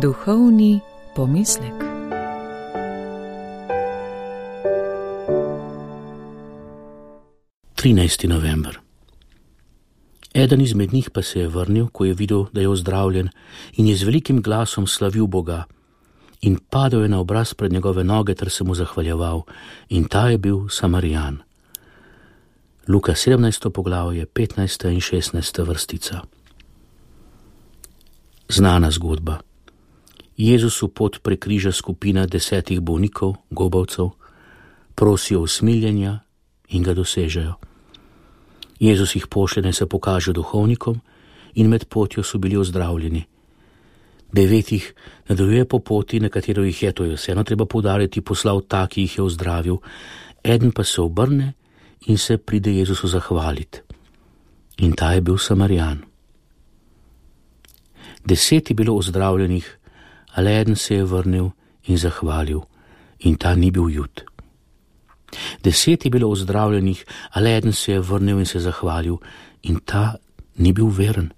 Duhovni pomislek. November. Eden izmed njih pa se je vrnil, ko je videl, da je ozdravljen, in je z velikim glasom slavil Boga. In padel je na obraz pred njegove noge ter se mu zahvaljeval, in ta je bil Samarijan. Luka 17. poglavje, 15. in 16. vrstica. Znana zgodba. Jezusu pot prekriža skupina 10 bolnikov, gobavcev, prosijo usmiljenja in ga dosežejo. Jezus jih pošlje, naj se pokaže duhovnikom, in med potjo so bili ozdravljeni. 9 jih nadaljuje po poti, na katero jih je, to je vseeno treba poudariti, poslal ta, ki jih je ozdravil. Eden pa se obrne in se pride Jezusu zahvaliti. In ta je bil Samarijan. 10 je bilo ozdravljenih, ali eden se je vrnil in zahvalil, in ta ni bil Jud. 10 je bilo ozdravljenih, ali eden se je vrnil in se zahvalil, in ta ni bil veren.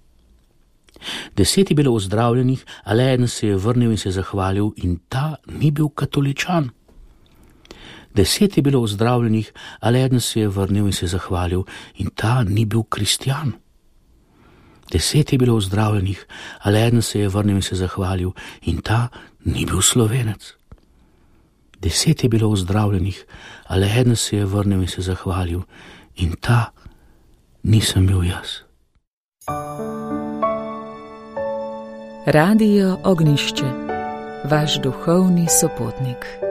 10 je bilo ozdravljenih, ali eden se je vrnil in se zahvalil, in ta ni bil katoličan. 10 je bilo ozdravljenih, ali eden se je vrnil in se zahvalil, in ta ni bil kristjan. 10 je bilo ozdravljenih, ali eden se je vrnil in se zahvalil, in ta ni bil Slovenec. 10 je bilo ozdravljenih, ali eden se je vrnil in se zahvalil, in ta nisem bil jaz. Radio Ognjišče, vaš duhovni sopotnik.